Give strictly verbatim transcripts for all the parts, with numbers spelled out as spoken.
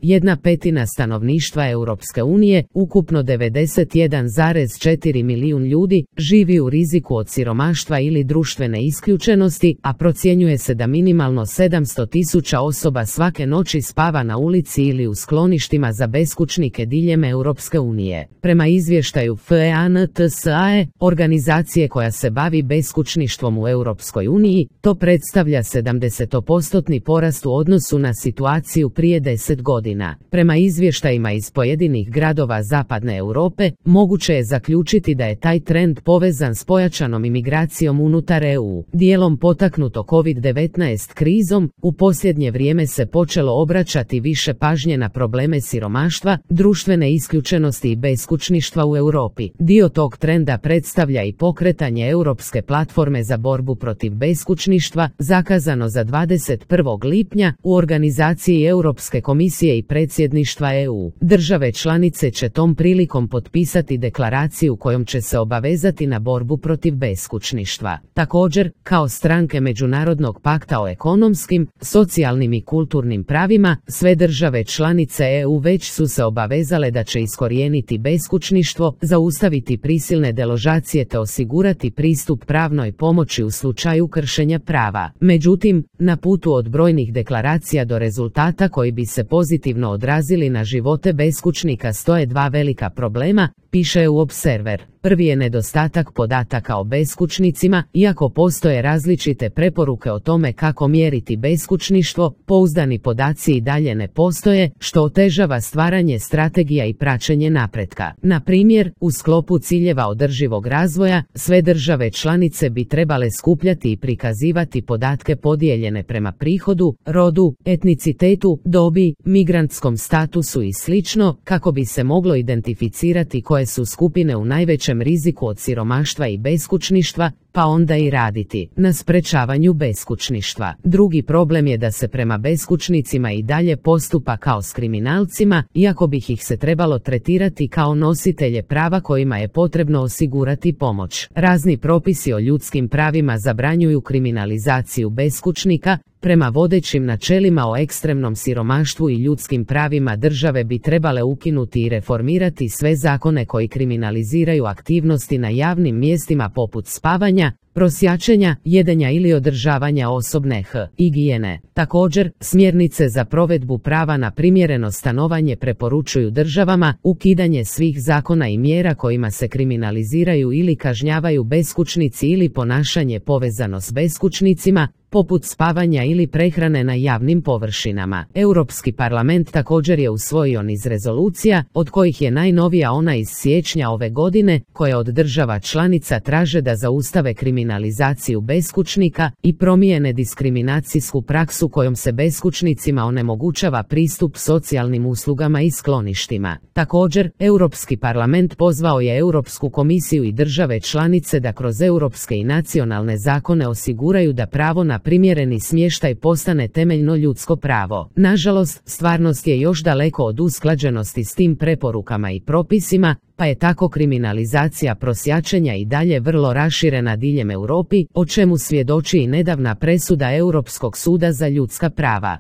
Jedna petina stanovništva Europske unije, ukupno devedeset jedan zarez četiri milijun ljudi, živi u riziku od siromaštva ili društvene isključenosti, a procjenjuje se da minimalno sedamsto tisuća osoba svake noći spava na ulici ili u skloništima za beskućnike diljem Europske unije. Prema izvještaju F E A N T S A E, organizacije koja se bavi beskućništvom u Europskoj uniji, to predstavlja sedamdesetopostotni porast u odnosu na situaciju prije deset godina. Prema izvještajima iz pojedinih gradova zapadne Europe, moguće je zaključiti da je taj trend povezan s pojačanom imigracijom unutar E U. Dijelom potaknuto kovid devetnaest krizom, u posljednje vrijeme se počelo obraćati više pažnje na probleme siromaštva, društvene isključenosti i beskućništva u Europi. Dio tog trenda predstavlja i pokretanje Europske platforme za borbu protiv beskućništva, zakazano za dvadeset prvog lipnja u organizaciji Europske komisije i predsjedništva E U. Države članice će tom prilikom potpisati deklaraciju kojom će se obavezati na borbu protiv beskućništva. Također, kao stranke Međunarodnog pakta o ekonomskim, socijalnim i kulturnim pravima, sve države članice E U već su se obavezale da će iskorijeniti beskućništvo, zaustaviti prisilne deložacije te osigurati pristup pravnoj pomoći u slučaju kršenja prava. Međutim, na putu od brojnih deklaracija do rezultata koji bi se pozitivno odrazili na živote beskućnika stoje dva velika problema, piše E U Observer. Prvi je nedostatak podataka o beskućnicima, iako postoje različite preporuke o tome kako mjeriti beskućništvo, pouzdani podaci i dalje ne postoje, što otežava stvaranje strategija i praćenje napretka. Na primjer, u sklopu ciljeva održivog razvoja, sve države članice bi trebale skupljati i prikazivati podatke podijeljene prema prihodu, rodu, etnicitetu, dobi, migrantskom statusu i slično, kako bi se moglo identificirati koje su skupine u najvećem riziku od siromaštva i beskućništva, pa onda i raditi na sprečavanju beskućništva. Drugi problem je da se prema beskućnicima i dalje postupa kao s kriminalcima, iako bi ih se trebalo tretirati kao nositelje prava kojima je potrebno osigurati pomoć. Razni propisi o ljudskim pravima zabranjuju kriminalizaciju beskućnika. Prema vodećim načelima o ekstremnom siromaštvu i ljudskim pravima države bi trebale ukinuti i reformirati sve zakone koji kriminaliziraju aktivnosti na javnim mjestima poput spavanja, prosjačenja, jedenja ili održavanja osobne higijene. Također, smjernice za provedbu prava na primjereno stanovanje preporučuju državama ukidanje svih zakona i mjera kojima se kriminaliziraju ili kažnjavaju beskućnici ili ponašanje povezano s beskućnicima, poput spavanja ili prehrane na javnim površinama. Europski parlament također je usvojio niz rezolucija, od kojih je najnovija ona iz siječnja ove godine, koja od država članica traže da zaustave kriminalizaciju beskućnika i promijene diskriminacijsku praksu kojom se beskućnicima onemogućava pristup socijalnim uslugama i skloništima. Također, Europski parlament pozvao je Europsku komisiju i države članice da kroz europske i nacionalne zakone osiguraju da pravo na primjereni smještaj postane temeljno ljudsko pravo. Nažalost, stvarnost je još daleko od usklađenosti s tim preporukama i propisima, pa je tako kriminalizacija prosjačenja i dalje vrlo raširena diljem Europi, o čemu svjedoči i nedavna presuda Europskog suda za ljudska prava.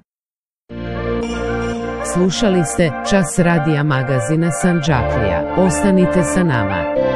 Slušali ste Čas radija magazina Sandžaklija. Ostanite sa nama.